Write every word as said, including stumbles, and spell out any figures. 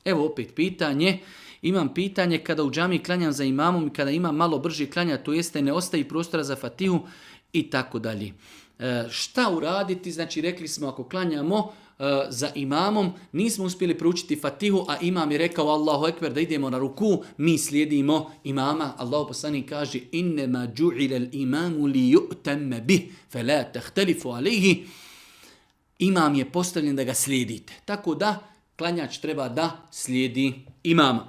Evo opet pitanje. Imam pitanje kada u džami klanjam za imamom i kada imam malo brži klanja, to jeste ne ostaje prostora za fatihu i tako dalje. E, šta uraditi? Znači rekli smo ako klanjamo e, za imamom, nismo uspjeli proučiti fatihu, a imam je rekao Allahu ekber da idemo na ruku, mi slijedimo imama. Allahu poslanik kaže innema džu'ila al-imamu li yu'tamma bih, fala tahtalifu alayhi. Imam je postavljen da ga slijedite. Tako da klanjač treba da slijedi imama.